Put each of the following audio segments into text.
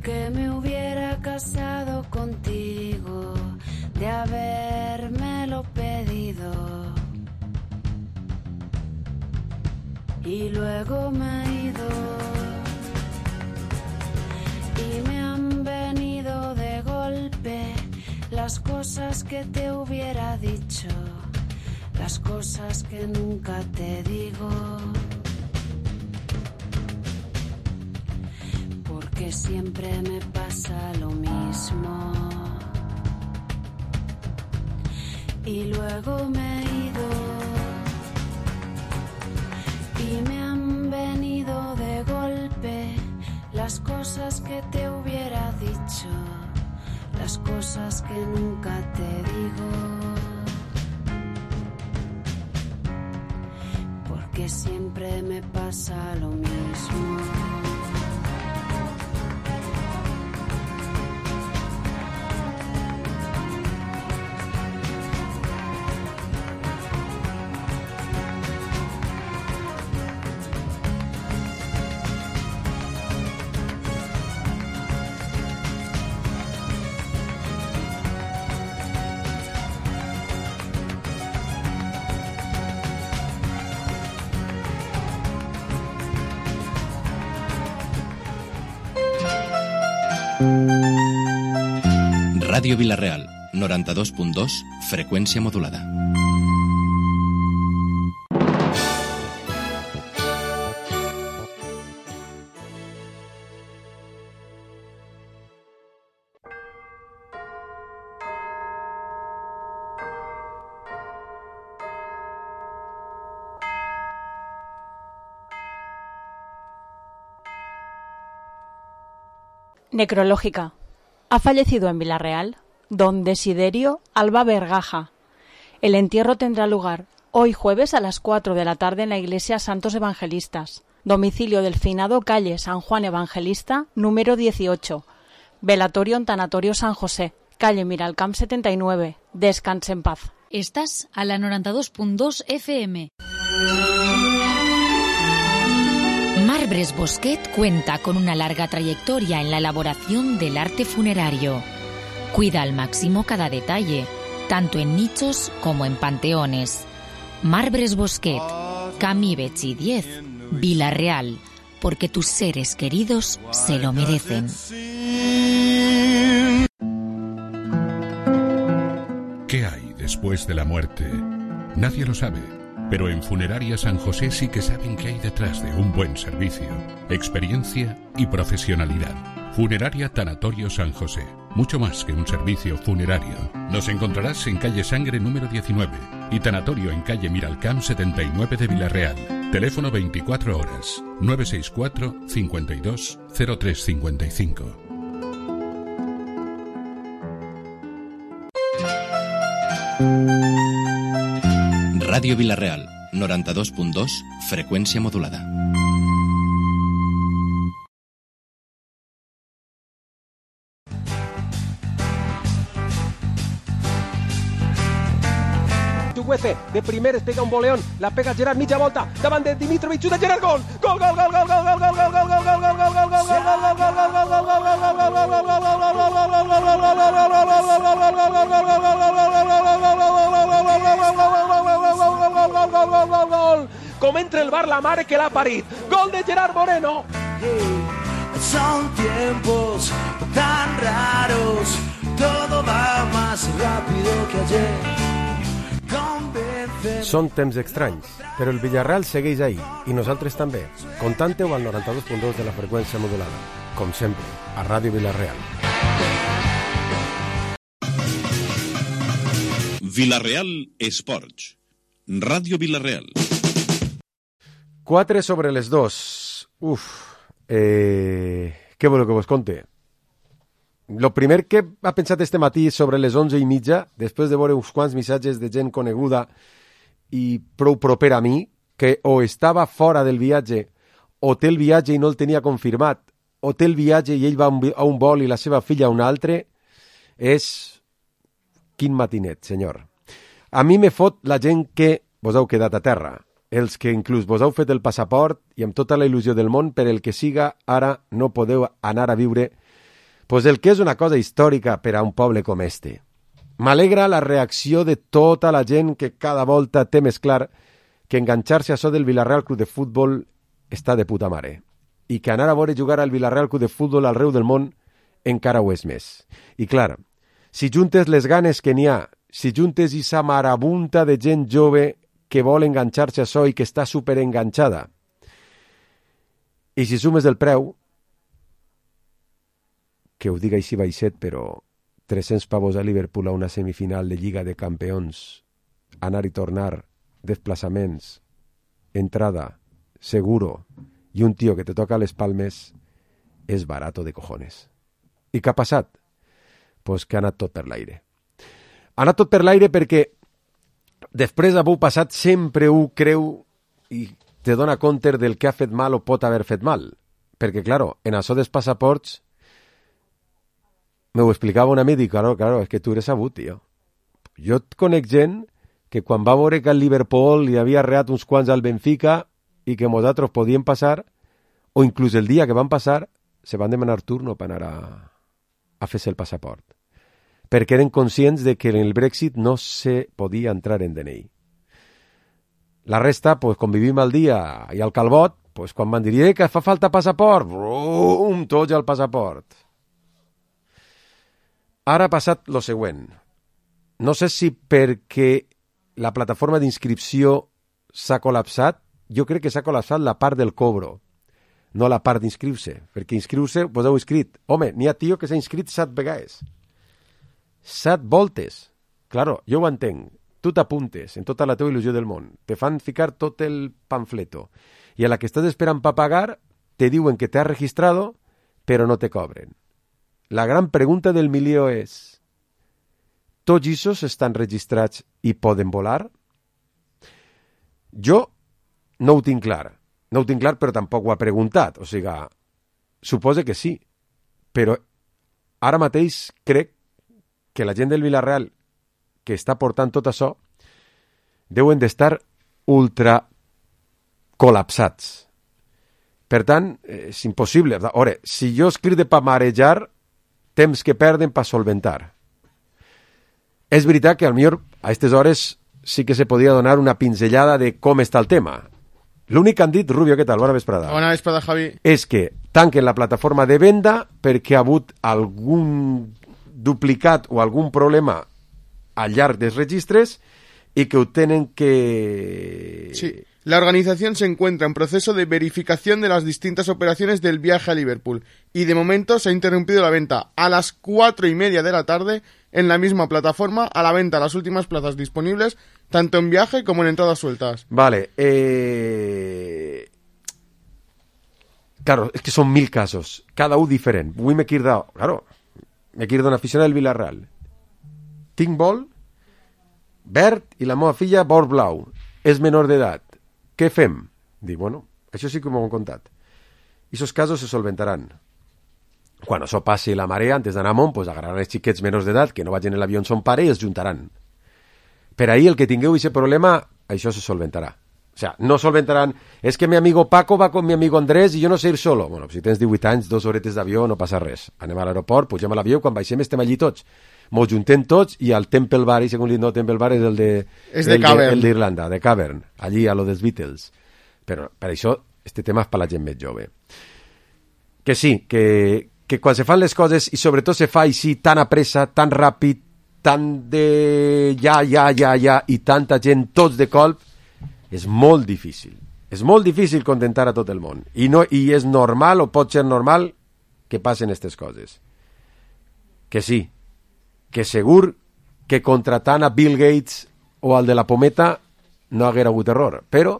que me hubiera casado contigo, de habérmelo pedido. Y luego me he ido y me han venido de golpe las cosas que te hubiera dicho, las cosas que nunca te digo. Porque siempre me pasa lo mismo. Y luego me he ido y me han venido de golpe las cosas que te hubiera dicho, las cosas que nunca te digo. Porque siempre me pasa lo mismo. Ràdio Vila-real, 92.2, freqüència modulada. Necrológica. Ha fallecido en Vila-real don Desiderio Alba Vergaja. El entierro tendrá lugar hoy jueves a las 4 de la tarde en la iglesia Santos Evangelistas, domicilio del finado calle San Juan Evangelista, número 18, velatorio en Tanatorio San José, calle Miralcamp 79. Descanse en paz. Estás a la 92.2 FM. Marbres Bosquet cuenta con una larga trayectoria en la elaboración del arte funerario. Cuida al máximo cada detalle, tanto en nichos como en panteones. Marbres Bosquet, Camí Betxí 10, Vila-real, porque tus seres queridos se lo merecen. ¿Qué hay después de la muerte? Nadie lo sabe. Pero en Funeraria San José sí que saben qué hay detrás de un buen servicio, experiencia y profesionalidad. Funeraria Tanatorio San José, mucho más que un servicio funerario. Nos encontrarás en calle Sangre número 19 y Tanatorio en calle Miralcamp 79 de Vila-real. Teléfono 24 horas, 964 52 0355. Ràdio Vila-real, 92.2, freqüència modulada. Güece, de primeres pega un boleón, la pega Gerard, mitja volta, davant de Dimitrovic, xuta Gerard, gol! Gol, gol, gol, gol, gol, gol, gol, gol, gol, gol, gol, gol, gol, gol, gol, gol, com entra el bar la mare que l'ha parit. Gol de Gerard Moreno. Son tiempos tan raros, todo va más rápido que ayer. Són temps estranys, però el Villarreal segueix ahí, i nosaltres també. Contanteu al 92.2 de la freqüència modulada, com sempre, a Ràdio Vila-real. Vila-real Esports. Ràdio Vila-real. 4 sobre les 2. Què voleu que vos conte? Lo primer que ha pensat este matí sobre les 11:30, després de veure uns quants missatges de gent coneguda i prou propera a mi, que o estava fora del viatge, o té el viatge i no el tenia confirmat, o té el viatge i ell va a un vol i la seva filla a un altre, és... Quin matinet, senyor. A mi me fot la gent que vos heu quedat a terra, els que inclús vos heu fet el passaport i amb tota la il·lusió del món per el que siga ara no podeu anar a viure Pues el que és una cosa històrica per a un poble com este. M'alegra la reacció de tota la gent que cada volta té més clar que enganxar-se a això del Villarreal Club de Futbol està de puta mare. I que anar a veure jugar al Villarreal Club de Futbol arreu del món encara ho és més. I clar, si juntes les ganes que n'hi ha, si juntes esa marabunta de gent jove que vol enganxar-se a això i que està superenganxada, i si sumes el preu, que ho diga així baixet, però 300 pavos a Liverpool a una semifinal de Lliga de Campions, anar i tornar, desplaçaments, entrada, seguro, i un tio que te toca les palmes, és barato de cojones. I què ha passat? Pues que ha anat tot per l'aire. Ha anat tot per l'aire perquè després d'haver passat sempre ho creu i te dona compte del que ha fet mal o pot haver fet mal. Perquè, claro, en això dels passaports m'ho explicava un amic i dic, claro, és que tu eres sabut, tio. Jo et conec gent que quan va veure que al Liverpool li havia arreat uns quants al Benfica i que nosaltres podíem passar, o inclús el dia que van passar, se van demanar turno per anar a fer-se el passaport. Perquè eren conscients de que en el Brexit no se podia entrar en DNI. La resta, pues, com vivim al dia i al calbot, pues, quan van dir que fa falta passaport, brum, tots al passaport. Ara ha passat lo següent. No sé si perquè la plataforma d'inscripció s'ha col·lapsat, jo crec que s'ha col·lapsat la part del cobro, no la part d'inscriure-se, perquè inscriure-se, vos heu inscrit. Home, n'hi ha tio que s'ha inscrit 7 vegades. 7 voltes. Claro, jo ho entenc. Tu t'apuntes en tota la teva il·lusió del món. Te fan ficar tot el pamfleto. I a la que estàs esperant per pagar, te diuen que te has registrado, però no te cobren. La gran pregunta del milió és: tots aquests estan registrats i poden volar? Jo no ho tinc clar. No ho tinc clar, però tampoc ho ha preguntat. O sigui, suposa que sí. Però ara mateix crec que la gent del Villarreal que està portant tot això deuen d'estar ultra col·lapsats. Per tant, és impossible. Ora, si jo escric per marejar, temps que perden per solventar. És veritat que potser a aquestes hores sí que se podia donar una pinzellada de com està el tema. L'únic que han dit, Rubio, què tal? Bona vesprada. Bona vesprada, Javi. És que tanquen la plataforma de venda perquè ha hagut algun duplicat o algun problema al llarg dels registres y que tienen que... Sí, la organización se encuentra en proceso de verificación de las distintas operaciones del viaje a Liverpool y de momento se ha interrumpido la venta a las 4:30 de la tarde en la misma plataforma, a la venta las últimas plazas disponibles tanto en viaje como en entradas sueltas. Vale, claro, es que son 1000 casos, cada uno diferente. Avui m'he quedat, claro, m'he quedat un aficionat del Villarreal. Tinc vol verd i la meva filla vol blau. És menor d'edat. Què fem? Dic, bueno, això sí que m'ho han contat. I aquests casos se solventaran. Quan això passi la marea, antes d'anar amunt, pues agarraran els xiquets menors d'edat que no vagin en l'avió on son pare i els juntaran. Per ahir, el que tingueu aquest problema, això se solventarà. O sea, no solventaran, és que mi amigo Paco va con mi amigo Andrés i jo no sé ir solo. Bueno, si tens 18 anys, 2 horetes d'avió, no passa res. Anem a l'aeroport, pugem a l'avió, quan baixem estem allí tots. Mos juntem tots i al Temple Bar, i segons no, Temple Bar és el de... És de Cavern. El d'Irlanda, de Cavern, allí a lo dels Beatles. Però per això, este tema és per la gent més jove. Que sí, que quan se fan les coses, i sobretot se fa així tan a pressa, tan ràpid, tan de ja, i tanta gent, tots de colp, és molt difícil. És molt difícil contentar a tot el món. I és normal, o pot ser normal, que passen aquestes coses. Que sí, que segur que contratant a Bill Gates o al de la pometa no haguera hagut error. Però,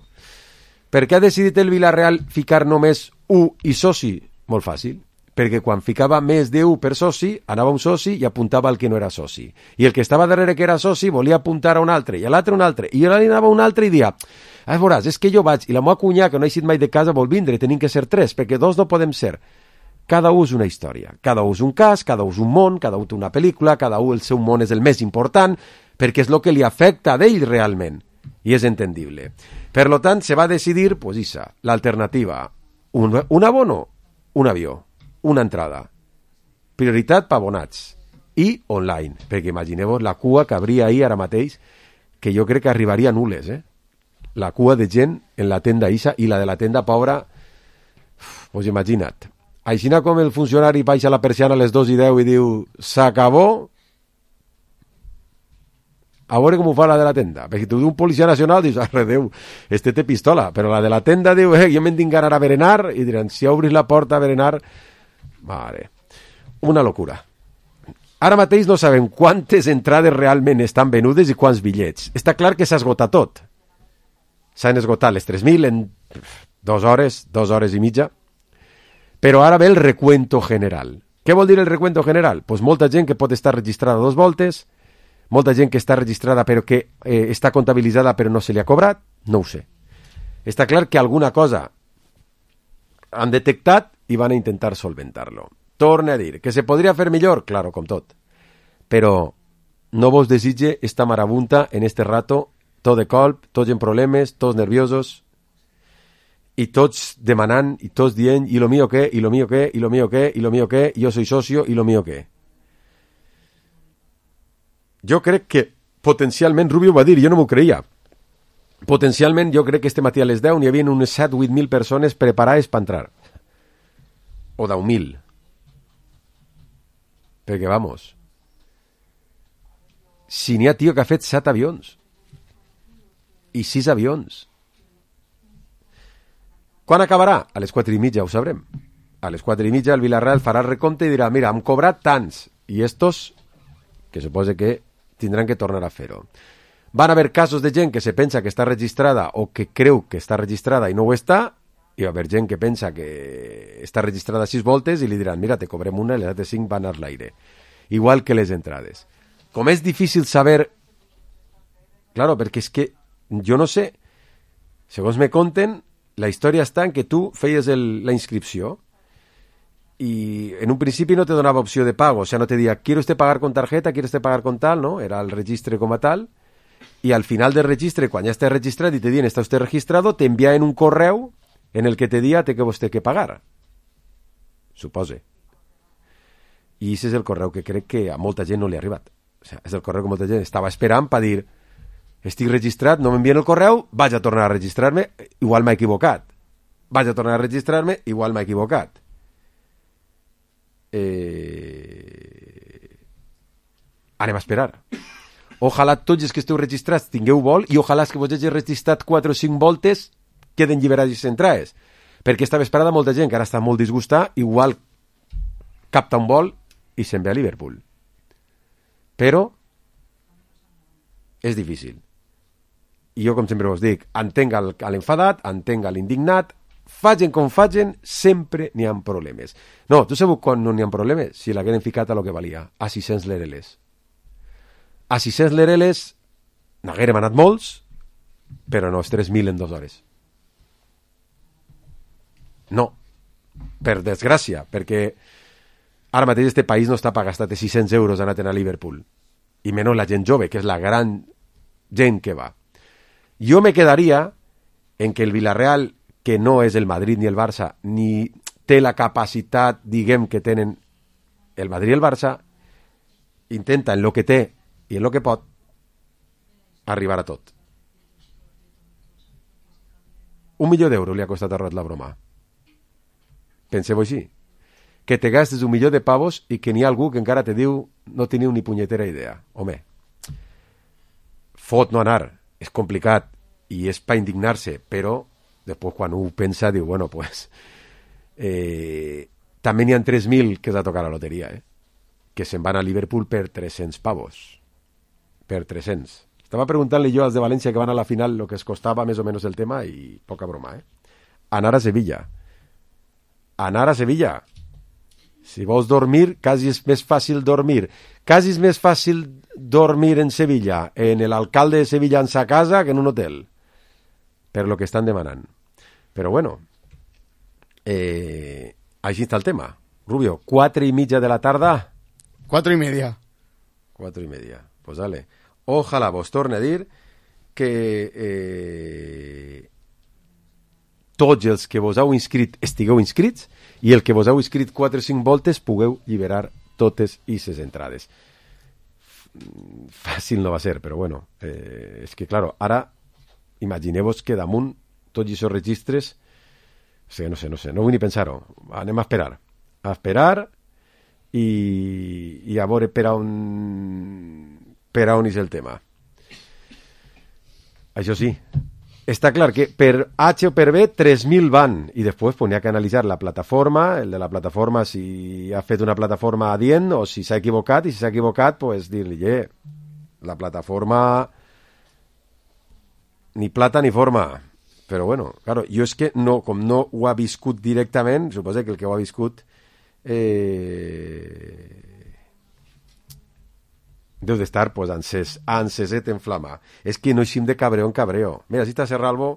per què ha decidit el Villarreal ficar només 1 i soci? Molt fàcil. Perquè quan ficava més de 1 per soci, anava un soci i apuntava al que no era soci. I el que estava darrere que era soci volia apuntar a un altre, i a l'altre un altre, i allà anava un altre i dia, veuràs, és que jo vaig, i la meva cunyà, que no ha eixit mai de casa, vol vindre, tenim que ser 3, perquè 2 no podem ser. Cada un és una història, cada un és un cas, cada un és un món, cada un té una pel·lícula, cada un el seu món és el més important, perquè és el que li afecta a ell realment, i és entendible. Per lo tant, se va decidir, pues esa, l'alternativa, un abono, un avió, una entrada. prioritat per abonats i online, perquè imagineu-vos la cua que habria ahir ara mateix, que jo crec que arribaria a nules, la cua de gent en la tenda Isa i la de la tenda pobra, pues imagina't. Aixina com el funcionari baixa la persiana a les 2:10 i diu s'acabó, a veure com ho fa la de la tenda, perquè tu d'un policia nacional dius, arre Déu, este té pistola, però la de la tenda diu, jo me'n tinc ganar a berenar, i diran, si obris la porta a berenar, mare, una locura. Ara mateix no sabem quantes entrades realment estan venudes i quants bitllets. Està clar que s'ha esgotat tot. S'han esgotat les 3.000 en 2 hores i mitja, però ara ve el recuento general. Què vol dir el recuento general? Pues molta gent que pot estar registrada 2 voltes, molta gent que està registrada però que està comptabilitzada però no se li ha cobrat, no ho sé. Està clar que alguna cosa han detectat i van a intentar solventar-lo. Torne a dir, que se podria fer millor? Claro, com tot. Però no vos desitge esta marabunta en este rato, tot de colp, tots en problemes, tots nerviosos, i tots demanant, i tots dient, i lo mío qué, i lo mío qué, i lo mío qué, i lo mío qué, yo soy socio, i lo mío qué. Jo crec que potencialment, Rubio va dir, jo no m'ho creia, potencialment jo crec que este matí a les 10 n'hi havia unes 7-8.000 persones preparades per entrar. O 10.000. Perquè, vamos, si n'hi ha tio que ha fet 7 avions i 6 avions, quan acabarà? A les 4:30 ho sabrem. A les 4:30 el Villarreal farà el recompte i dirà, mira, hem cobrat tants, i estos, que suposa que tindran que tornar a fer-ho. Van haver casos de gent que se pensa que està registrada o que creu que està registrada i no ho està, i va haver gent que pensa que està registrada 6 voltes i li diran, mira, te cobrem una i les altres 5 van a l'aire. Igual que les entrades. Com és difícil saber... Claro, perquè és que jo no sé, segons me conten, la història està en que tu feies la inscripció y en un principi no te donava opció de pago, o sea, no te deia, ¿quiere usted pagar con tarjeta? ¿Quiere usted pagar con tal? ¿No? Era el registre com a tal, y al final del registre, quan ja estàs registrat i te diuen, ¿está usted registrado? Te envían un correu en el que te dia té que vostè que pagar. Supose. I aquest és el correu que crec que a molta gent no li ha arribat. O sea, és el correu que molta gent estava esperant per dir, estic registrat, no m'envien el correu, vaig a tornar a registrar-me, igual m'he equivocat. Vaig a tornar a registrar-me, igual m'he equivocat. Anem a esperar. Ojalà tots els que esteu registrats tingueu vol i ojalà que vos hagi registrat 4 o 5 voltes queden lliberats i entrades. Perquè estava esperada molta gent que ara està molt disgustada, igual capta un vol i se'n ve a Liverpool. Però és difícil. I jo, com sempre vos dic, entenc l'enfadat, entenc l'indignat, facin com facin, sempre n'hi ha problemes. No, tu sabeu quan no n'hi ha problemes? Si l'hagueren ficat a lo que valia, a 600 lereles. A 600 lereles n'haguérem anat molts, però no, és 3.000 en 2 hores. No, per desgràcia, perquè ara mateix este país no està per gastar 600 euros anant a Liverpool, i menys la gent jove, que és la gran gent que va. Jo me quedaria en que el Villarreal, que no és el Madrid ni el Barça, ni té la capacitat, diguem, que tenen el Madrid i el Barça, intenta en lo que té i en lo que pot arribar a tot. 1 milió d'euros li ha costat a Rot la broma. Penseu així, que te gastes 1 milió de pavos i que n'hi ha algú que encara te diu no teniu ni punyetera idea. Home, fot no anar, és complicat i és per indignar-se, però després quan ho pensa diu, bueno, pues també n'hi ha 3.000 que s'ha tocat la loteria, que se'n van a Liverpool per 300 pavos. Per 300. Estava preguntant-li jo als de València que van a la final el que es costava més o menys el tema i poca broma, Anar a Sevilla. Anar a Sevilla. Si vols dormir, quasi és més fàcil dormir. Quasi és més fàcil dormir en Sevilla, en l'alcalde de Sevilla en sa casa, que en un hotel. Per lo que estan demanant. Però bueno, així està el tema. Rubio, 4:30 de la tarda. 4:30. 4:30. Pues dale. Ojalà vos torne a dir que tots els que vos heu inscrit estigueu inscrits i el que vos heu inscrit 4 o 5 voltes pugueu lliberar totes i ses entrades. Fàcil no va ser, però bueno, és que, claro, ara imagineu-vos que damunt tots aquests registres, no sé, no vull ni pensar-ho, anem a esperar i a veure per on és el tema. Això sí, està clar que per H o per B 3.000 van i després n'hi ha que analitzar la plataforma, el de la plataforma si ha fet una plataforma adient o si s'ha equivocat, i si s'ha equivocat pues dir-li, la plataforma ni plata ni forma. Però bueno, claro, jo és que no, com no ho ha viscut directament, suposo que el que ho ha viscut deu d'estar pues, anseset en flama. És que no eixim de cabreo en cabreo. Mira, si està Serralvo,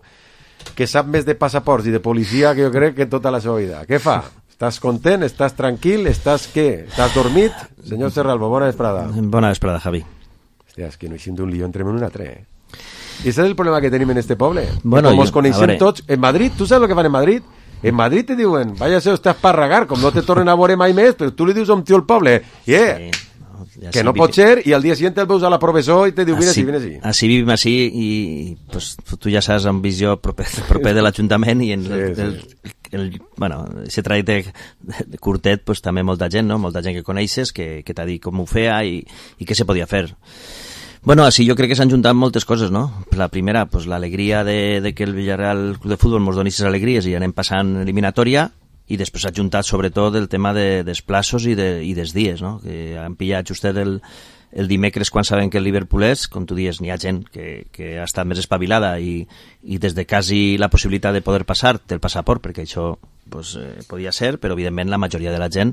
que sap més de passaports i de policia que jo crec que tota la seva vida. Què fa? Estàs content? Estàs tranquil? Estàs què? Estàs dormit? Senyor Serralvo, bona vesprada. Bona vesprada, Javi. Hòstia, és que no eixim d'un lío, entrem en un altre, I ese és el problema que tenim en este poble. Bueno, com ens coneixem tots. En Madrid, tu saps el que fan en Madrid? En Madrid te diuen, váyase usted a esparragar, com no te tornen a veure mai més, però tu li dius a un tio al poble, sí, que no pot ser, i al dia següent el veus a la professor i te diu, vine així. Així vivim així, i pues, tu ja saps, amb visió proper de l'Ajuntament, i en bueno, aquest trajecte curtet, pues, també molta gent, no? Molta gent que coneixes, que t'ha dit com ho feia i què se podia fer. Bueno, així jo crec que s'han juntat moltes coses, no? La primera, pues, l'alegria de que el Villarreal Club de Futbol mos doni aquestes alegries i anem passant eliminatòria, i després s'ha juntat sobretot el tema dels plaços i dels dies, no? Que han pillat justet el dimecres quan saben que el Liverpool és, com tu dius, n'hi ha gent que ha estat més espavilada i des de quasi la possibilitat de poder passar té el passaport, perquè això pues, podia ser, però evidentment la majoria de la gent,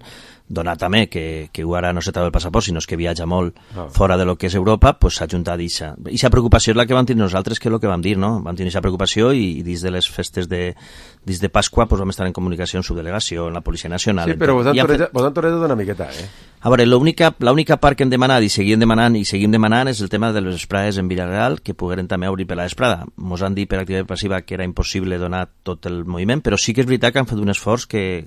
donat també que ara no se treu el passaport, sinó que viatja molt fora de lo que és Europa, pues, s'ha juntat ixa. Ixa preocupació és la que vam tenir nosaltres, que és el que vam dir, no? Vam tenir ixa preocupació i dins de les festes dins de Pasqua pues, vam estar en comunicació amb subdelegació, amb la Policia Nacional. Sí, però vos han tornat d'una miqueta, A veure, l'única part que hem demanat i seguim demanant és el tema de les vesprades en Villarreal, que pogueren també obrir per la vesprada. Mos han dit per activitat passiva que era impossible donar tot el moviment, però sí que és veritat que han fet un esforç que...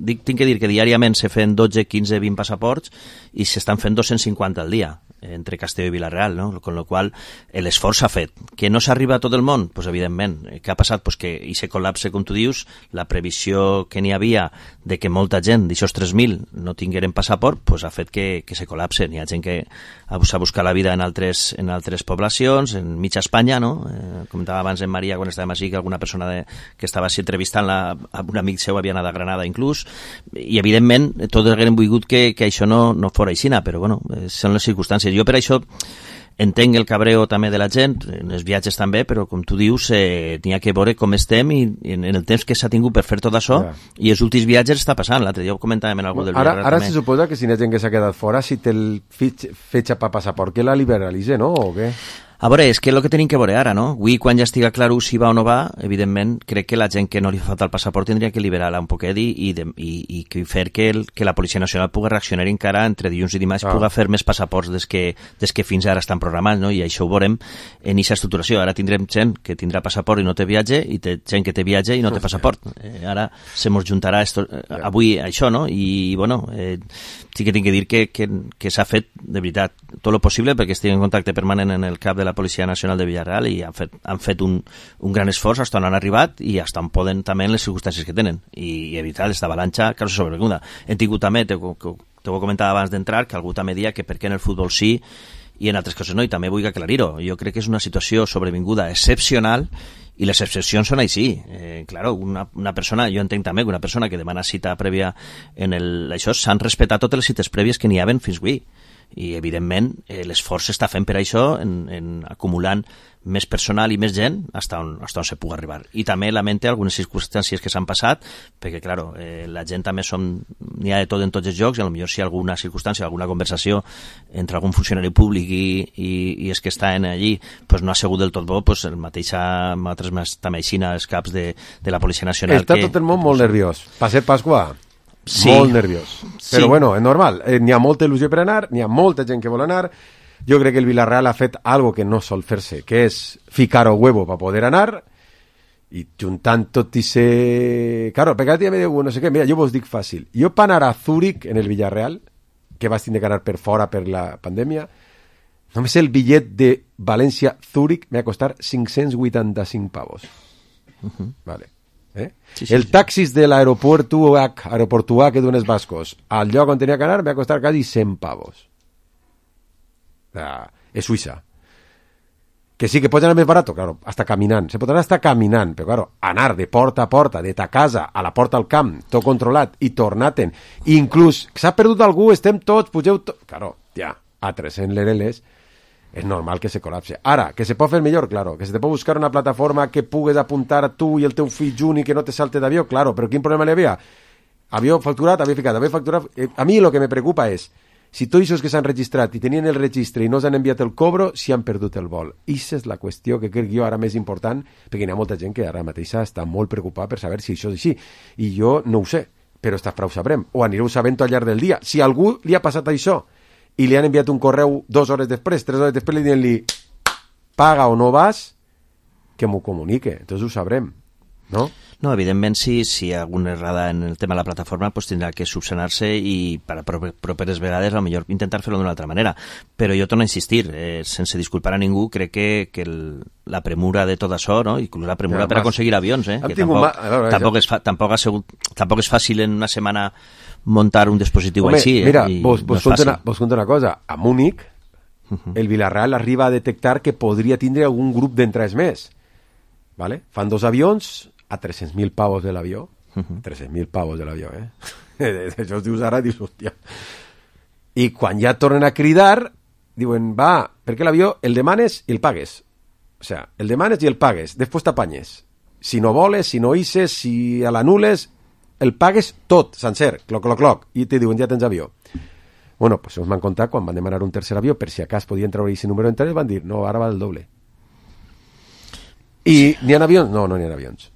Tinc que dir que diàriament se fan 12, 15, 20 passaports i s'estan fent 250 al dia entre Castelló i Villarreal, no? Con lo qual l'esforç s'ha fet. Que no s'arriba a tot el món? Pues evidentment. Què ha passat? Pues que se col·lapse, com tu dius, la previsió que n'hi havia de que molta gent d'aixòs 3.000 no tingueren passaport, pues ha fet que se col·lapse. N'hi ha gent que s'ha buscat la vida en altres poblacions, en mitja Espanya, no? Comentava abans en Maria, quan estàvem així, que alguna persona que estava així entrevistant un amic seu havia anat a Granada inclús, i evidentment tots haguem volgut que això no fora aixina, però bueno, són les circumstàncies. Jo per això entenc el cabreo també de la gent, en els viatges també, però com tu dius, n'hi ha que veure com estem i en el temps que s'ha tingut per fer tot això, i els últims viatges està passant. L'altre dia ho comentàvem en algú del Villarreal. Ara se suposa que si n'hi ha gent que s'ha quedat fora, si té el fetge per passaport, que la liberalitze, no? O què? A veure, és que el que tenim que veure ara, no? Avui, quan ja estiga clar si va o no va, evidentment, crec que la gent que no li fa falta el passaport tindria que liberar-la un poquet i fer que la Policia Nacional pugui reaccionar encara entre dilluns i dimarts, pugui fer més passaports des que fins ara estan programats, no? I això ho veurem en aquesta estructuració. Ara tindrem gent que tindrà passaport i no té viatge, i gent que té viatge i no té passaport. Ara se mos juntarà avui això, no? I, bueno, sí que tinc que dir que s'ha fet, de veritat, tot el possible perquè estigui en contacte permanent en el cap de la Policia Nacional de Villarreal i han fet un gran esforç fins on han arribat i fins on poden també en les circumstàncies que tenen i evitar aquesta avalanxa que no se sobrevinguda. Hem tingut també, t'ho comentava abans d'entrar, que algú també dia que per què en el futbol sí i en altres coses no, i també vull aclarir-ho. Jo crec que és una situació sobrevinguda excepcional i les excepcions són així. Claro, una persona, jo entenc també que una persona que demana cita prèvia això, s'han respectat totes les cites prèvies que n'hi havia fins avui. I evidentment l'esforç s'està fent per això en acumulant més personal i més gent fins on se pugui arribar. I també lamente algunes circumstàncies que s'han passat, perquè claro, la gent també n'hi ha de tot en tots els llocs, i potser si hi ha alguna circumstància, alguna conversació entre algun funcionari públic i és que estan allí, pues no ha sigut del tot bo, pues el mateix també aixina els caps de la Policia Nacional. Està tot el món molt nerviós. Per ser Pasqua, sí. Molt nerviós. Però bueno, és normal. N'hi ha molta il·lusió per anar, n'hi ha molta gent que vol anar. Jo crec que el Villarreal ha fet algo que no sol fer-se, que és ficar o huevo per poder anar i juntant tot i ser... Claro, perquè ara me diu, no sé què, mira, jo vos dic fàcil. Jo per anar a Zúrich en el Villarreal, que vas tindre que anar per fora per la pandèmia, només el bitllet de València-Zúrich m'ha costat 585 pavos. Vale. Sí, el taxis de l'aeroportuà que d'unes Bascos al lloc on tenia que anar m'ha costat quasi 100 pavos. És Suïssa. Que sí que pots anar més barat, claro, hasta caminant. Se pot anar hasta caminant, però claro, anar de porta a porta, de ta casa a la porta al camp, tot controlat, i tornar-te'n. Inclús, s'ha perdut algú, estem tots, pugeu tots... Claro, ja, a 300 lereles és normal que se col·lapse. Ara, que se pot fer millor, claro, que se te pot buscar una plataforma que pugues apuntar a tu i el teu fill junt i que no te salte d'avió, claro, però quin problema hi havia? Avió facturat, havia facturat... A mi el que me preocupa és si tots els que s'han registrat i tenien el registre i no s'han enviat el cobro, si han perdut el vol. Ixa és la qüestió que crec jo ara més important, perquè hi ha molta gent que ara mateixa està molt preocupada per saber si això és així. I jo no ho sé, però esta frau sabrem, o anireu sabent al llarg del dia. Si a algú li ha passat això i li han enviat un correu 2 hores després, 3 hores després, li diuen-li paga o no vas, que m'ho comunique, entonces ho sabrem, no? No, evidentment, si hi ha alguna errada en el tema de la plataforma, pues tindrà que subsanar-se i per a properes vegades a lo millor intentar fer-ho d'una altra manera. Però jo torno a insistir, sense disculpar a ningú, crec que la premura de tot això, no? Inclús la premura per aconseguir avions, que tampoc és fàcil en una setmana muntar un dispositiu així. Mira, vos conto una cosa. A Múnich, el Villarreal arriba a detectar que podria tindre algun grup d'entrades més. ¿Vale? Fan 2 avions a 300.000 pavos de l'avió. 300.000 pavos de l'avió, Això es dius ara, dius, hòstia. I quan ja tornen a cridar, diuen, va, perquè l'avió el demanes i el pagues. O sea, el demanes i el pagues, després t'apanyes. Si no voles, si no hisses, si l'anules, el pagues tot, sencer, cloc, i te diuen, ja tens avió. Bueno, pues ens van contar quan van demanar un tercer avió, per si a cas podien treure aquest número d'entrades, van dir, no, ara va el doble. I n'hi ha avions? No, no n'hi ha avions.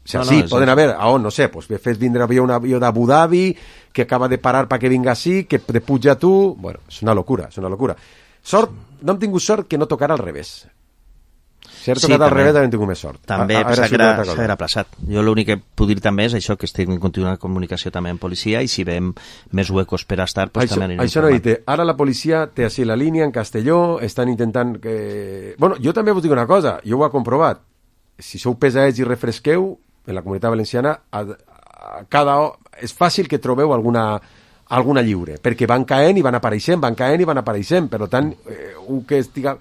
O sea, sí, poden haver, no sé, pues fes vindre un avió d'Abu Dhabi que acaba de parar perquè vinga així, que te puja a tu... Bueno, és una locura. Sort, no hem tingut sort que no tocara al revés. Si era tocat al revés, hem tingut més sort. També s'ha aplaçat. Jo l'únic que puc dir també és això, que estic en contínua comunicació també amb policia, i si veiem més huecos per estar, pues també anirem. Això no dit, ara la policia té així la línia en Castelló, estan intentant que... Bueno, jo també vos dic una cosa, jo ho he comprovat. Si sou pesats i refresqueu, en la Comunitat Valenciana és fàcil que trobeu alguna lliure, perquè van caent i van apareixent, per tant, que estiga...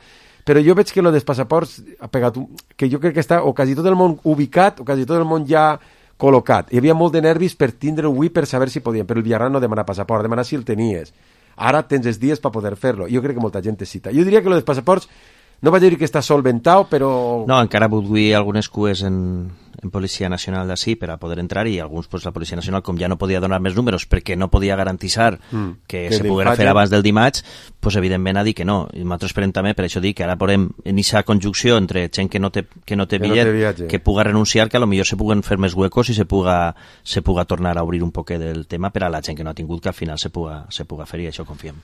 Però jo veig que lo dels passaports ha pegat que jo crec que està o quasi tot el món ubicat, o quasi tot el món ja col·locat. Hi havia molt de nervis per tindre-ho avui per saber si podien, però el Villarreal no demana passaport, demana si el tenies. Ara tens els dies per poder fer-lo. Jo crec que molta gent te cita. Jo diria que lo dels passaports no vaig dir que està solventat, però... No, encara vull algunes cues en Policia Nacional d'ací per a poder entrar, i alguns, pues, la Policia Nacional, com ja no podia donar més números perquè no podia garantitzar que se poguera fer abans del dimarts, pues, evidentment ha dit que no. I nosaltres esperem també, per això dic que ara podem en aquesta conjunció entre gent que no té bitllet, que puga renunciar, que a lo millor se puguen fer més huecos i se puga tornar a obrir un poquet del tema per a la gent que no ha tingut, que al final se puga fer, i això confiem.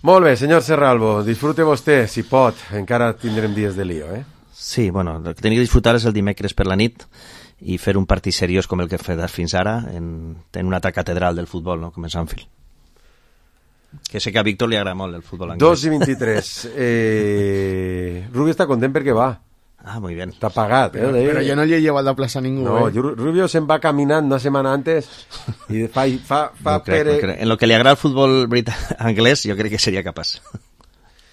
Molt bé, senyor Serralbo, disfrute vostè, si pot, encara tindrem dies de lío, Sí, bueno, el que tenia que disfrutar és el dimecres per la nit i fer un partit seriós com el que he fet fins ara en una altra catedral del futbol, no? Com és Anfield. Que sé que a Víctor li agrada molt el futbol anglès. 2:23. Rubio està content perquè va. Ah, muy bien. Está pagat, Pero yo no le he llevado a la plaza a ningún. No, Rubio se'n va caminant una setmana antes i fa no crec. En lo que li agrada el futbol anglès, jo crec que seria capaç.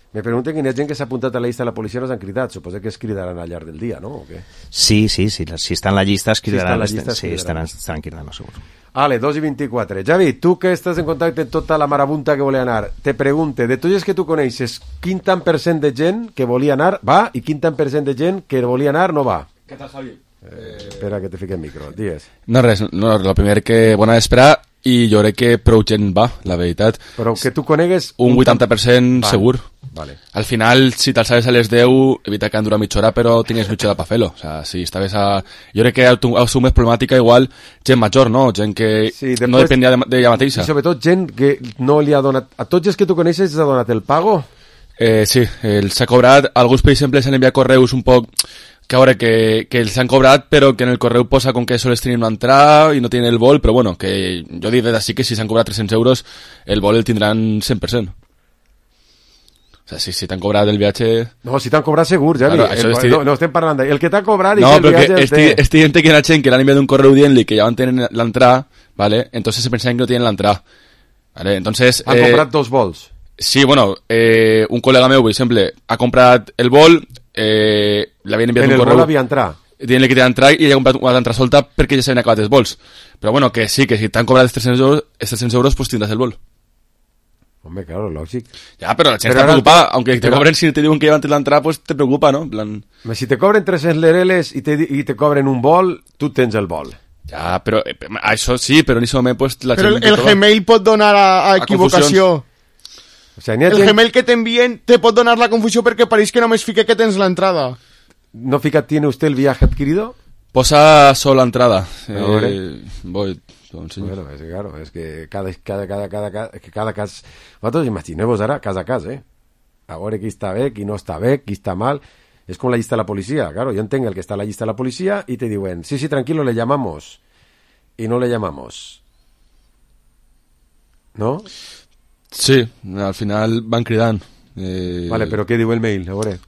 Me pregunten quina gent que s'ha apuntat a la llista de la policia no s'han cridat. Suposo que es cridaran al llarg del dia, no? O què? Sí, si està en la llista es cridaran. Sí, estaran cridant, segur. Ale, 2:24. Javi, tu que estàs en contacte amb tota la marabunta que volia anar, te pregunte, de tots els que tu coneixes, quin tant % de gent que volia anar va i quin tant % de gent que volia anar no va? Què tal, Javi? Espera que te fiqui el micro, digues. No, res, el primer que bona esperar, i jo crec que prou gent va, la veritat. Però que tu conegues... Un 80% segur. Vale. Al final, si t'alçaves a les 10, evita que dura mitja hora, però tingues mitja hora per fer-lo. O sea, si estaves a... Jo crec que és més problemàtica igual gent major, no? Gent que no depenia d'ella mateixa. I sobretot gent que no li ha donat... A tots els que tu coneixes els ha donat el pago? Sí, s'ha cobrat. Alguns, per exemple, s'han enviat correus un poc que ahora que se han cobrat, però que en el correu posa com que sols tenir una entrada i no tienen el vol, però bueno, que jo dic d'ací que si s'han cobrat 300 euros, el vol el tindran 100%. O sea, si t'han cobrat el viatge... No, si t'han cobrat segur, Javi. Claro, no estem parlant d'ell. El que t'ha cobrat... No, però que estic dient que hi ha gent que l'han enviat un correu dient-li que ja van tenir l'entrada, ¿vale? Entonces se pensaven que no tienen la entrada. ¿Vale? Entonces... Han comprat 2 vols. Sí, bueno, un col·lega meu, per exemple, ha comprat el vol, l'havien enviat un correu... En el vol havia entrat. Dient-li que té entrar i ella ha comprat una altra solta perquè ja s'havien acabat els vols. Però bueno, que sí, que si t'han cobrat els 300 euros, pues tindràs el vol. Hombre, claro, lògic. Ja, però la gent està preocupada. Aunque te cobren, si te diuen que llevan l'entrada, pues te preocupa, ¿no? Plan... Si te cobren 300 lereles i te cobren un vol, tu tens el vol. Ja, però això sí, però en aquest moment pues, la però el Gmail pot donar a equivocació. O sigui, el Gmail que t'envien te pot donar la confusió perquè pareix que només fique que tens l'entrada. ¿No fica tiene usted el viaje adquirido? Posa solo entrada. Voy... Bueno, és que, claro, és que cada cas... Vosaltres imagineu-vos ara cas a cas, a veure qui està bé, qui no està bé, qui està mal. És com la llista de la policia, claro, yo entenc el que està a la llista de la policia y te diuen, sí, tranquilo, le llamamos. Y no le llamamos. ¿No? Sí, al final van cridant. Vale, però què diu el mail? A veure.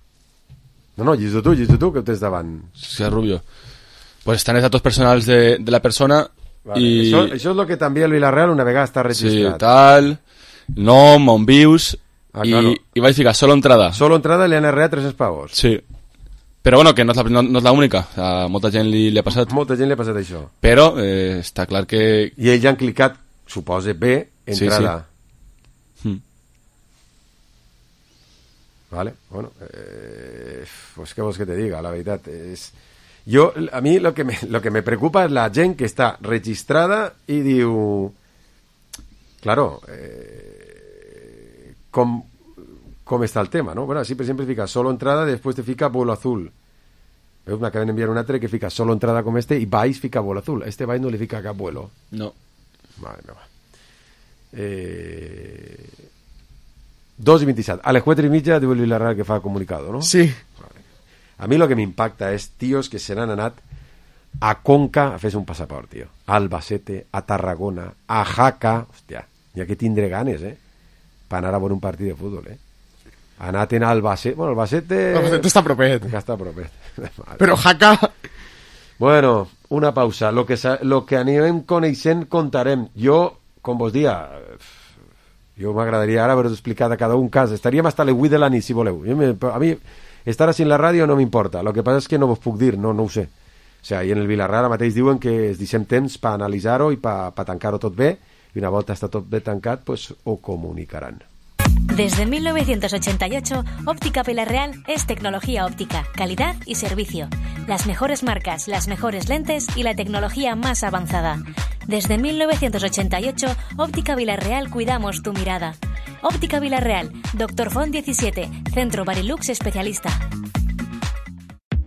No, llegeix tu, que ho tens davant. Sí, Rubio. Pues están los datos personals de la persona. Vale, y... Això és el que també el Villarreal una vegada està registrat. Sí, tal, nom, on vius, claro. I vaig ficar solo entrada. Solo entrada li han arreat 300 pavos. Sí. Però bueno, que no és l'única. O sea, molta gent li ha passat. Molta gent li ha passat això. Però està clar que... I ells han clicat, suposa, bé, entrada. Sí. Vale, bueno, pues què vols que te diga, la veritat és... a mí lo que me preocupa es la gent que está registrada y diu... Claro, ¿cómo está el tema, no? Bueno, así siempre fica solo entrada, después te fica vuelo azul. Me acaban de enviar una altra que fica solo entrada com y vais fica vuelo azul. Este vais no le fica cap vuelo. No. Vale, no va. 2:27. A les 4:30 diu el Villarreal que fa comunicado, ¿no? Sí. A mi lo que m'impacta és tios que se n'han anat a Conca a fer un passaport, tio. A Albacete, a Tarragona, a Jaca... Hòstia, hi ha que tindre ganes, per anar a veure un partit de futbol, Ha anat en Albacete... Bueno, Albacete... Albacete està propet. Està propet. Però Jaca... Bueno, una pausa. Lo que anem coneixent contarem. Jo, com vos dia... Jo m'agradaria ara haver-vos explicat a cada un cas. Estaríem hasta les 8 de la nit, si voleu. A mi... Estar així en la ràdio no m'importa, el que passa és que no vos puc dir, no ho sé. O sigui, i en el Villarreal mateix diuen que es deixem temps per analitzar-ho i per tancar-ho tot bé, i una volta està tot bé tancat, pues ho comunicaran. Desde 1988, Óptica Villarreal es tecnología óptica, calidad y servicio. Las mejores marcas, las mejores lentes y la tecnología más avanzada. Desde 1988, Óptica Villarreal cuidamos tu mirada. Óptica Villarreal, Dr. Font 17, Centro Barilux Especialista.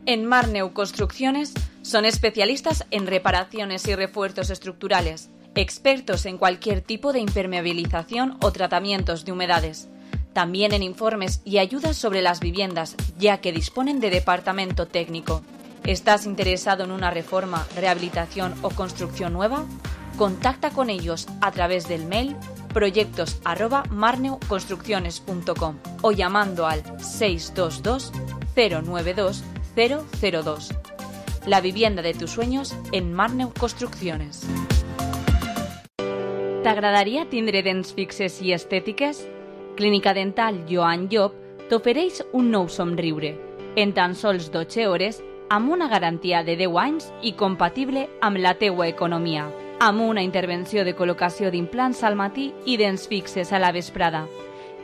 En Marneu Construcciones son especialistas en reparaciones y refuerzos estructurales, expertos en cualquier tipo de impermeabilización o tratamientos de humedades. También en informes y ayudas sobre las viviendas, ya que disponen de departamento técnico. ¿Estás interesado en una reforma, rehabilitación o construcción nueva? Contacta con ellos a través del mail proyectos@marneuconstrucciones.com o llamando al 622 092 002. La vivienda de tus sueños en Marneu Construcciones. T'agradaria tindre dents fixes i estètiques? Clínica Dental Joan Llop t'ofereix un nou somriure, en tan sols 12 hores, amb una garantia de 10 anys i compatible amb la teua economia, amb una intervenció de col·locació d'implants al matí i dents fixes a la vesprada.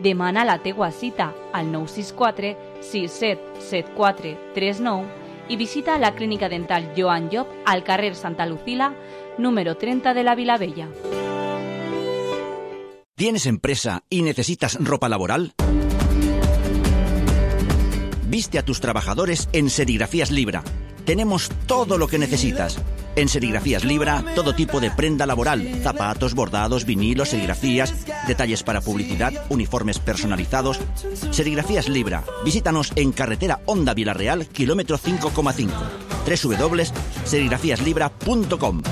Demana la teua cita al 964 6774 39 i visita la Clínica Dental Joan Llop al carrer Santa Lucila, número 30 de la Vilavella. ¿Tienes empresa y necesitas ropa laboral? Viste a tus trabajadores en Serigrafías Libra. Tenemos todo lo que necesitas. En Serigrafías Libra, todo tipo de prenda laboral, zapatos, bordados, vinilos, serigrafías, detalles para publicidad, uniformes personalizados. Serigrafías Libra. Visítanos en carretera Honda Vilarreal, kilómetro 5,5. www.serigrafiaslibra.com.